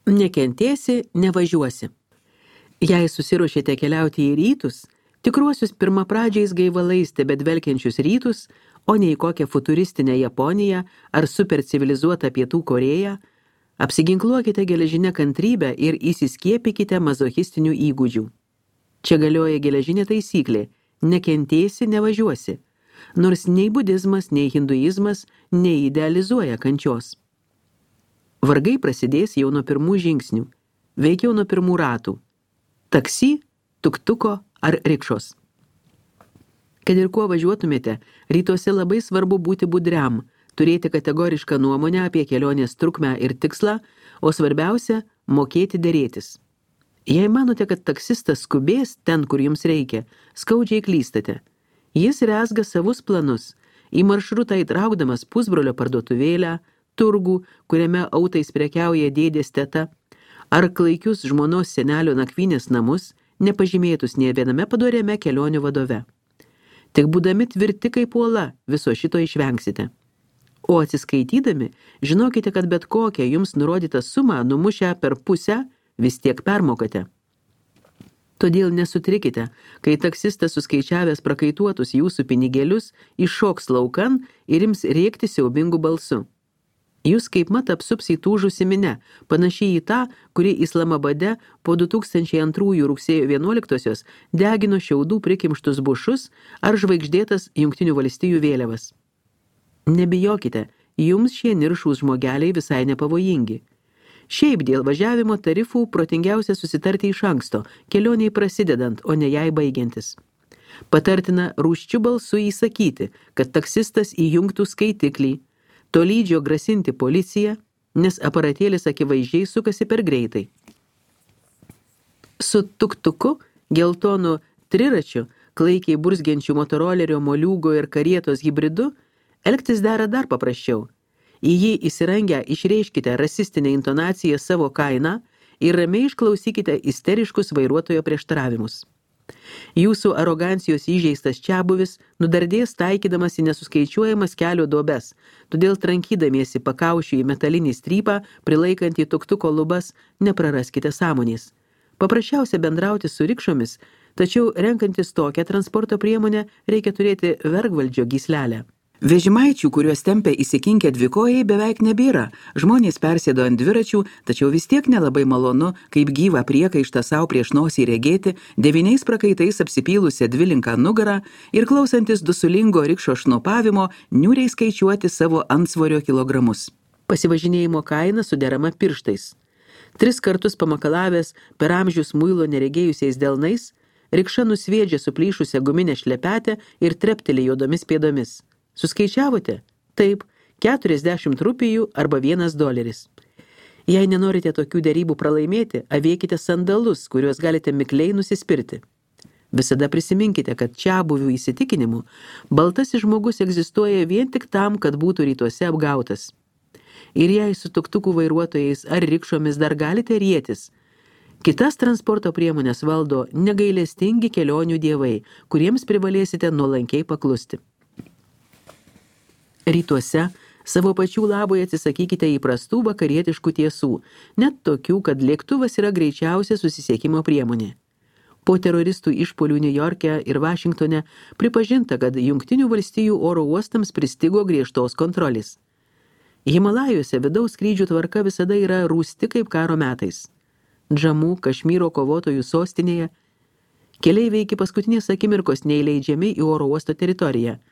Nekentėsi, nevažiuosi. Jei susiruošėte keliauti į rytus, tikruosius pirmapradžiais gaivalais tebedvelkiančius rytus, o ne į kokią futuristinę Japoniją ar supercivilizuotą Pietų Korėją, apsiginkluokite geležinę kantrybę ir įsiskiepykite mazochistinių įgūdžių. Čia galioja geležinė taisyklė – nekentėsi, nevažiuosi, nors nei budizmas, nei hinduizmas neidealizuoja kančios. Vargai prasidės jau nuo pirmų žingsnių, veikiau nuo pirmų ratų – taksi, tuktuko ar rikšos. Kad ir kuo važiuotumėte, rytuose labai svarbu būti budriam, turėti kategorišką nuomonę apie kelionės trukmę ir tikslą, o svarbiausia – mokėti derėtis. Jei manote, kad taksistas skubės ten, kur jums reikia, skaudžiai klystate. Jis rezga savus planus, į maršrutą įtraukdamas pusbrolio parduotuvėlę, turgų, kuriame autais prekiauja dėdės teta, ar klaikius žmonos senelio nakvynės namus, nepažymėtus nė viename padoriame kelionių vadove. Tik būdami tvirti kaip uola, viso šito išvengsite. O atsiskaitydami, žinokite, kad bet kokią jums nurodytą sumą numušę per pusę vis tiek permokate. Todėl nesutrikite, kai taksistas suskaičiavęs prakaituotus jūsų pinigėlius iššoks laukan ir ims rėkti siaubingu balsu. Jūs kaip mat apsups įtūžusi minę, panašiai į tą, kuri Islamabade po 2002 rugsėjo 11-osios degino šiaudų prikimštus bušus ar žvaigždėtas Jungtinių valstijų vėliavas. Nebijokite, jums šie niršūs žmogeliai visai nepavojingi. Šiaip dėl važiavimo tarifų protingiausia susitarti iš anksto, kelioniai prasidedant, o ne jai baigiantis. Patartina rūsčiu balsu įsakyti, kad taksistas įjungtų skaitiklį, tolydžio grasinti policiją, nes aparatėlis akivaizdžiai sukasi per greitai. Su tuktuku, geltonu triračiu, klaikiai burzgiančiu motorolerio, moliūgo ir karietos hibridu, elgtis dera dar paprasčiau. Į jį įsirangę išreiškite rasistinę intonaciją savo kainą ir ramiai išklausykite isteriškus vairuotojo prieštaravimus. Jūsų arogancijos įžeistas čiabuvis nudardės taikydamas į nesuskaičiuojamas kelio duobes, todėl trankydamiesi pakaušiu į metalinį strypą, prilaikantį tuktuko lubas, nepraraskite sąmonės. Paprasčiausia bendrauti su rikšomis, tačiau renkantis tokią transporto priemonę reikia turėti vergvaldžio gyslelę. Vežimaičių, kuriuos tempia įsikinkę dvikojai, beveik nebėra. Žmonės persėdo ant dviračių, tačiau vis tiek nelabai malonu, kaip gyvą priekaištą savo prieš nosį regėti, 9 prakaitais apsipylusią dvilinką nugarą ir klausantis dusulingo rikšo šnopavimo, niūriai skaičiuoti savo antsvorio kilogramus. Pasivažinėjimo kaina suderama pirštais. 3 kartus pamakalavęs per amžius muilo neregėjusiais delnais, rikša nusviedžia suplyšusią guminę šlepetę ir trepteli juodomis pėdomis. Suskaičiavote? Taip, 40 rupijų arba $1. Jei nenorite tokių derybų pralaimėti, avėkite sandalus, kuriuos galite mikliai nusispirti. Visada prisiminkite, kad čiabuvių įsitikinimu baltasis žmogus egzistuoja vien tik tam, kad būtų rytuose apgautas. Ir jei su tuktukų vairuotojais ar rikšomis dar galite rietis, kitas transporto priemonės valdo negailestingi kelionių dievai, kuriems privalėsite nuolankiai paklusti. Rytuose savo pačių labui atsisakykite įprastų vakarietiškų tiesų, net tokių, kad lėktuvas yra greičiausia susisiekimo priemonė. Po teroristų išpuolių Niujorke ir Vašingtone pripažinta, kad Jungtinių valstijų oro uostams pristigo griežtos kontrolės. Himalajuose vidaus skrydžių tvarka visada yra rūsti kaip karo metais. Džamų, Kašmyro kovotojų sostinėje keleiviai iki paskutinės akimirkos neįleidžiami į oro uosto teritoriją.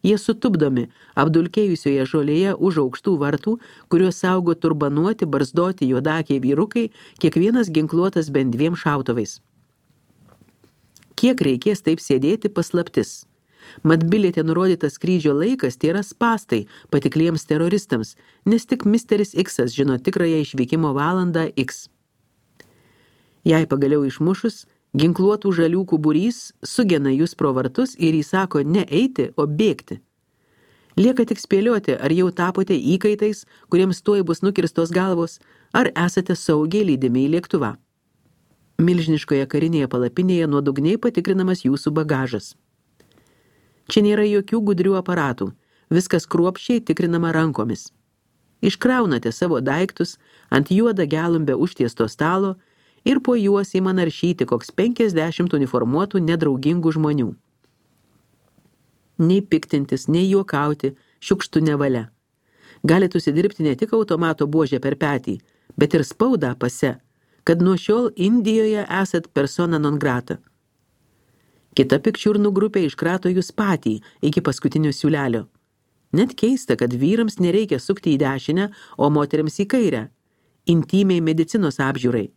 Jie sutupdomi apdulkėjusioje žolėje už aukštų vartų, kuriuos saugo turbanuoti, barzdoti juodakiai vyrukai, kiekvienas ginkluotas bent 2 šautuvais. Kiek reikės taip sėdėti paslaptis? Mat biliete nurodytas skrydžio laikas tai yra spastai patikliems teroristams, nes tik Misteris X'as žino tikrąją išvykimo valandą X. Jei pagaliau išmušus, ginkluotų žaliūkų būrys sugena jūs pro vartus ir įsako ne eiti, o bėgti. Lieka tik spėlioti, ar jau tapote įkaitais, kuriems tuoj bus nukirstos galvos, ar esate saugiai lydimi į lėktuvą. Milžiniškoje karinėje palapinėje nuodugniai patikrinamas jūsų bagažas. Čia nėra jokių gudrių aparatų, viskas kruopščiai tikrinama rankomis. Iškraunate savo daiktus ant juodą gelumbę užtiesto stalo ir po juos ima naršyti koks 50 uniformuotų nedraugingų žmonių. Nei piktintis, nei juokauti šiukštų nevalia. Galite užsidirbti ne tik automato buožę per petį, bet ir spaudą pase, kad nuo šiol Indijoje esat persona non grata. Kita pikčiurnų grupė iškrato jūs patį iki paskutinio siūlelio. Net keista, kad vyrams nereikia sukti į dešinę, o moteriams į kairę. Intymiai medicinos apžiūrai.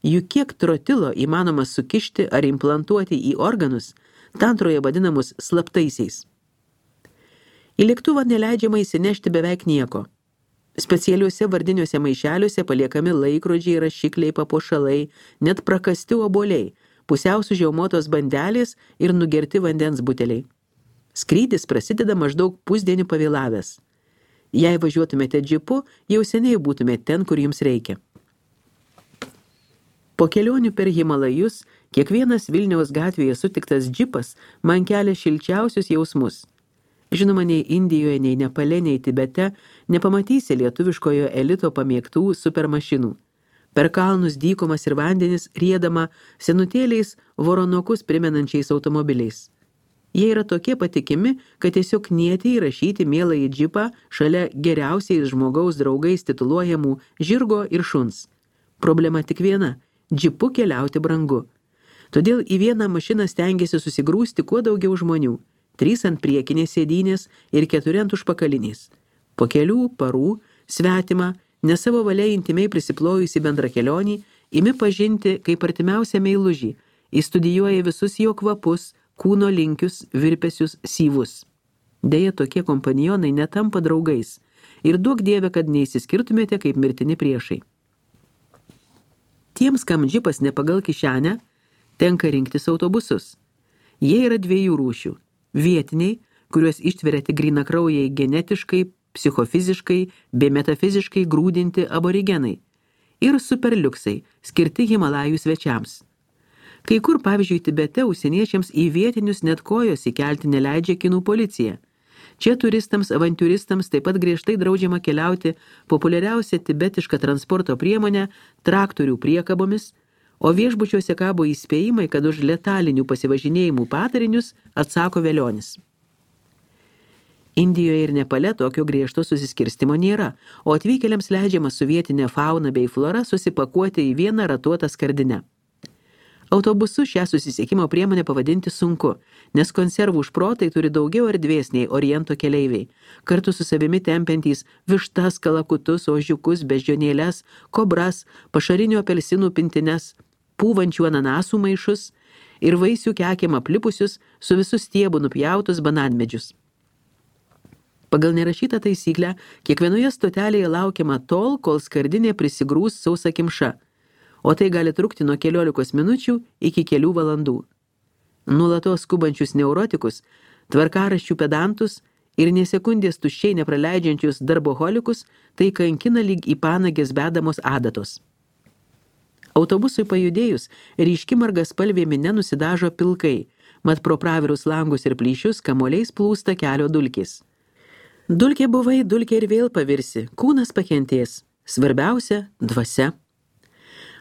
Juk kiek trotilo įmanoma sukišti ar implantuoti į organus, tantroje vadinamus slaptaisiais. Į lėktuvą neleidžiama įsinešti beveik nieko. Specialiuose vardiniuose maišeliuose paliekami laikrodžiai, rašikliai, papuošalai, net prakasti obuoliai, pusiau sužiaumotos bandelės ir nugerti vandens buteliai. Skrydis prasideda maždaug pusdienį pavėlavęs. Jei važiuotumėte džipu, jau seniai būtumėte ten, kur jums reikia. Po kelionių per Himalajus, kiekvienas Vilniaus gatvėje sutiktas džipas man kelia šilčiausius jausmus. Žinoma, nei Indijoje, nei Nepale, nei Tibete nepamatysi lietuviškojo elito pamėgtų supermašinų. Per kalnus, dykumas ir vandenis riedama senutėliais voronokus primenančiais automobiliais. Jie yra tokie patikimi, kad tiesiog knieti įrašyti mielą į džipą šalia geriausiais žmogaus draugais tituluojamų žirgo ir šuns. Problema tik viena – džipu keliauti brangu. Todėl į vieną mašiną stengiasi susigrūsti kuo daugiau žmonių – 3 ant priekinės sėdynės ir 4 ant užpakalinės. Po kelių parų svetimą, ne savo valia intimiai prisiplojusi bendra kelionį, imi pažinti kaip artimiausią meilužį, įstudijuoja visus jo kvapus, kūno linkius, virpesius, syvus. Deja, tokie kompanionai netampa draugais ir duok Dieve, kad neįsiskirtumėte kaip mirtini priešai. Tiems, kam džipas ne pagal kišenę, tenka rinktis autobusus. Jie yra 2 rūšių. Vietiniai, kuriuos ištveria tik grynakraujai genetiškai, psichofiziškai bei metafiziškai grūdinti aborigenai. Ir superliuksai, skirti Himalajų svečiams. Kai kur, pavyzdžiui, Tibete užsieniečiams į vietinius net kojos įkelti neleidžia kinų policija. Čia turistams, avantiūristams taip pat griežtai draudžiama keliauti populiariausia tibetiška transporto priemonė traktorių priekabomis, o viešbučiuose kabo įspėjimai, kad už letalinių pasivažinėjimų patarinius atsako velionis. Indijoje ir Nepale tokio griežto susiskirstimo nėra, o atvykėliams leidžiama su vietinė fauna bei flora susipakuoti į vieną ratuotą skardinę. Autobusu šią susisiekimo priemonę pavadinti sunku, nes konservų šprotai turi daugiau erdvės nei oriento keleiviai, kartu su savimi tempiantys vištas, kalakutus, ožiukus, beždžionėles, kobras, pašarinių apelsinų pintines, pūvančių ananasų maišus ir vaisių kekėm aplipusius su visų stiebų nupjautus bananmedžius. Pagal nerašytą taisyklę, kiekvienoje stotelėje laukiama tol, kol skardinė prisigrūs sausakimša, o tai gali trukti nuo 15 minučių iki kelių valandų. Nuolatos skubančius neurotikus, tvarkaraščių pedantus ir nė sekundės tuščiai nepraleidžiančius darboholikus tai kankina lyg į panagės bedamos adatos. Autobusui pajudėjus, ryški margaspalvė minia nusidažo pilkai, mat pro pravirus langus ir plyšius kamuoliais plūsta kelio dulkės. Dulkė buvai, dulkė ir vėl pavirsi, kūnas pakentės, svarbiausia – dvasia.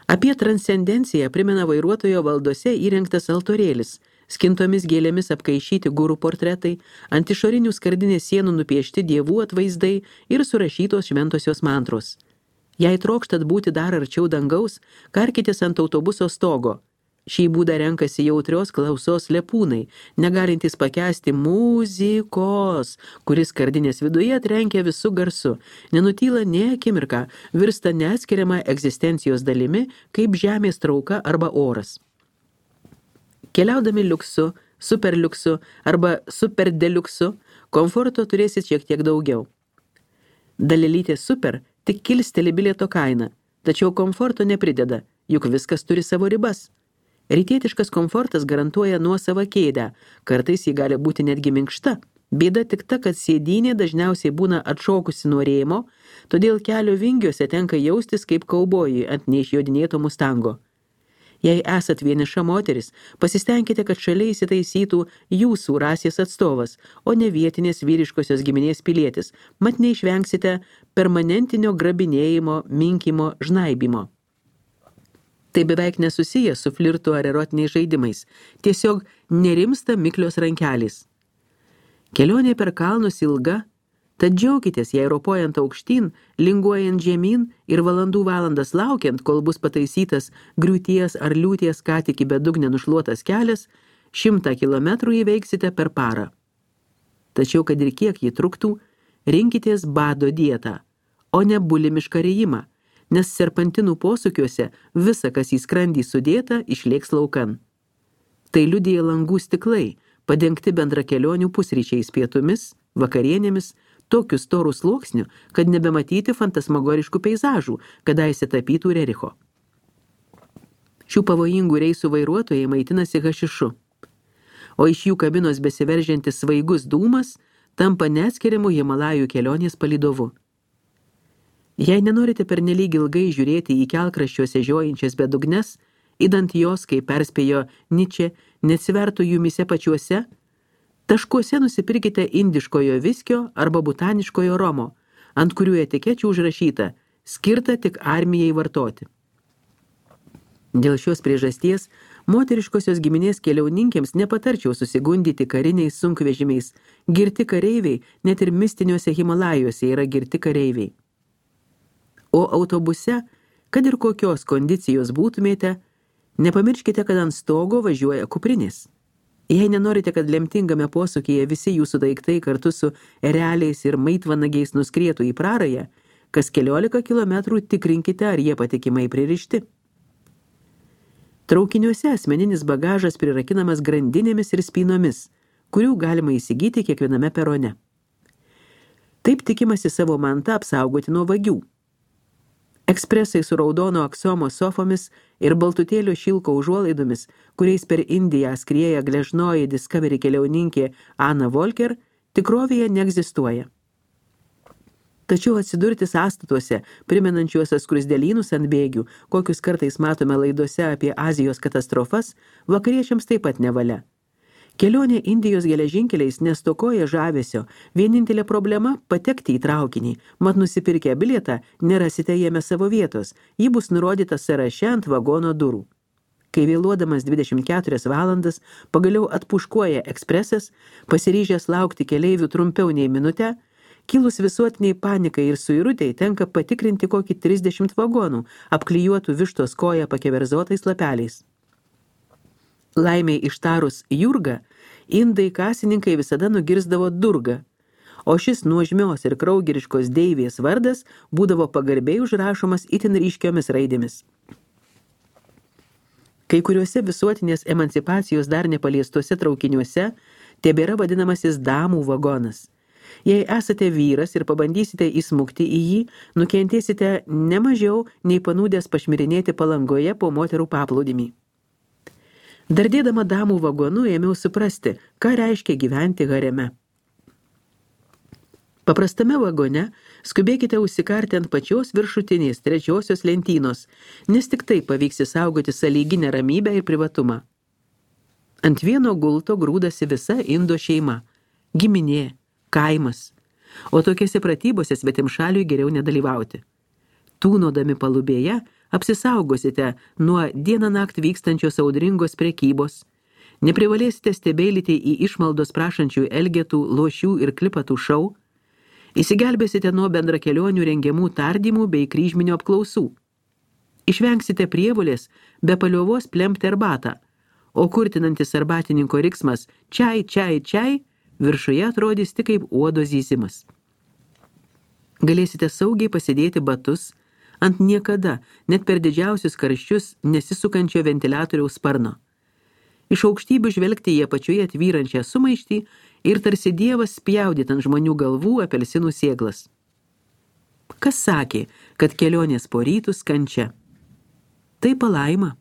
Apie transcendenciją primena vairuotojo valdose įrengtas altorėlis, skintomis gėlėmis apkaišyti gurų portretai, ant išorinių skardinės sienų nupiešti dievų atvaizdai ir surašytos šventosios mantros. Jei trokštat būti dar arčiau dangaus, karkitės ant autobuso stogo. Šį būdą renkasi jautrios klausos lepūnai, negalintys pakęsti muzikos, kuris skardinės viduje trenkia visų garsu, nenutyla nė akimirką, virsta neatskiriama egzistencijos dalimi, kaip žemės trauka arba oras. Keliaudami liuksu, superliuksu arba superdeliuksu, komforto turėsit šiek tiek daugiau. Dalelytė super tik kilsteli bilieto kainą, tačiau komforto neprideda, juk viskas turi savo ribas. Rytietiškas komfortas garantuoja nuosavą kėdę, kartais jį gali būti netgi minkšta. Bėda tik ta, kad sėdynė dažniausiai būna atšokusi nuo rėmo, todėl kelio vingiuose tenka jaustis kaip kaubojui ant neišjodinėto mustango. Jei esat vieniša moteris, pasistengkite, kad šalia įsitaisytų jūsų rasės atstovas, o ne vietinės vyriškosios giminės pilietis, mat neišvengsite permanentinio grabinėjimo, minkimo, žnaibimo. Tai beveik nesusiję su flirtu ar erotiniais žaidimais, tiesiog nerimsta miklios rankelės. Kelionė per kalnus ilga, tad džiaukitės, jei ropojant aukštyn, linguojant žemyn ir valandas laukiant, kol bus pataisytas griūties ar liūties ką tik į bedugnę nušluotas kelias, 100 kilometrų įveiksite per parą. Tačiau, kad ir kiek jį truktų, rinkitės bado dietą, o ne bulimišką rijimą, nes serpantinų posūkiuose visa, kas į skrandį sudėta, išlėks laukan. Tai liudija langų stiklai, padengti bendrakelionių pusryčiais, pietumis, vakarienėmis, tokiu storų sluoksniu, kad nebematyti fantasmagoriškų peizažų, kadaise tapytų Rericho. Šių pavojingų reisų vairuotojai maitinasi hašišu, o iš jų kabinos besiveržiantis svaigus dūmas tampa neatskiriamu Himalajų kelionės palydovu. Jei nenorite pernelyg ilgai žiūrėti į kelkraščiuose žiojančias bedugnes, idant jos, kaip perspėjo Ničė, neatsivertų jumise pačiuose, taškuose nusipirkite indiškojo viskio arba botaniškojo romo, ant kurių etikečių užrašyta skirta tik armijai vartoti. Dėl šios priežasties moteriškosios giminės keliauninkėms nepatarčiau susigundyti kariniais sunkvežimiais. Girti kareiviai, net ir mistiniuose Himalajuose yra girti kareiviai. O autobuse, kad ir kokios kondicijos būtumėte, nepamirškite, kad ant stogo važiuoja kuprinės. Jei nenorite, kad lemtingame posūkyje visi jūsų daiktai kartu su ereliais ir maitvanagiais nuskrietų į prarają, kas 14 kilometrų tikrinkite, ar jie patikimai pririšti. Traukiniuose asmeninis bagažas prirakinamas grandinėmis ir spynomis, kurių galima įsigyti kiekviename perone. Taip tikimasi savo mantą apsaugoti nuo vagių. Ekspresai su raudono aksomo sofomis ir baltutėlio šilko užuolaidomis, kuriais per Indiją skrieja gležnoji Discovery keliauninkė Anna Volker, tikrovėje neegzistuoja. Tačiau atsidurti sąstatuose, primenančiuose skruzdėlynus ant bėgių, kokius kartais matome laidose apie Azijos katastrofas, vakariečiams taip pat nevalia. Kelionė Indijos geležinkeliais nestokoja žavesio, vienintelė problema – patekti į traukinį, mat nusipirkę bilietą nerasite jame savo vietos, ji bus nurodyta sąraše ant vagono durų. Kai vėluodamas 24 valandas pagaliau atpuškuoja ekspresas, pasiryžęs laukti keleivių trumpiau nei minutę, kilus visuotiniai panikai ir suirutei tenka patikrinti kokį 30 vagonų, apklijuotų vištos koją pakeverzotais lapeliais. Laimiai ištarus Jurga, indai kasininkai visada nugirsdavo Durga, o šis nuožmios ir kraugeriškos deivės vardas būdavo pagarbiai užrašomas itin ryškiomis raidėmis. Kai kuriuose visuotinės emancipacijos dar nepaliestuose traukiniuose tebėra vadinamasis damų vagonas. Jei esate vyras ir pabandysite įsmukti į jį, nukentėsite ne mažiau nei panūdęs pašmirinėti Palangoje po moterų paplūdimį. Dardėdama damų vagonu ėmiau suprasti, ką reiškia gyventi hareme. Paprastame vagone skubėkite užsikarti ant pačios viršutinės 3 lentynos, nes tik taip pavyks išsaugoti sąlyginę ramybę ir privatumą. Ant vieno gulto grūdasi visa Indo šeima, giminė, kaimas, o tokiose pratybose svetimšaliui geriau nedalyvauti. Tūnodami palubėje apsisaugosite nuo dieną naktį vykstančios audringos prekybos, neprivalėsite stebeilyti į išmaldos prašančių elgetų, lošių ir klipatų šou, įsigelbėsite nuo bendrakelionių rengiamų tardymų bei kryžminių apklausų. Išvengsite prievolės be paliovos plemti arbatą, o kurtinantis arbatininko riksmas čiai, čiai, čiai viršuje atrodys tik kaip uodo zyzimas. Galėsite saugiai pasidėti batus ant niekada, net per didžiausius karščius, nesisukančio ventiliatoriaus sparno. Iš aukštybių žvelgti į apačioje tvyrančią sumaištį ir tarsi dievas spjaudyt ant žmonių galvų apelsinų sėklas. Kas sakė, kad kelionės po rytus kančia? Tai palaima.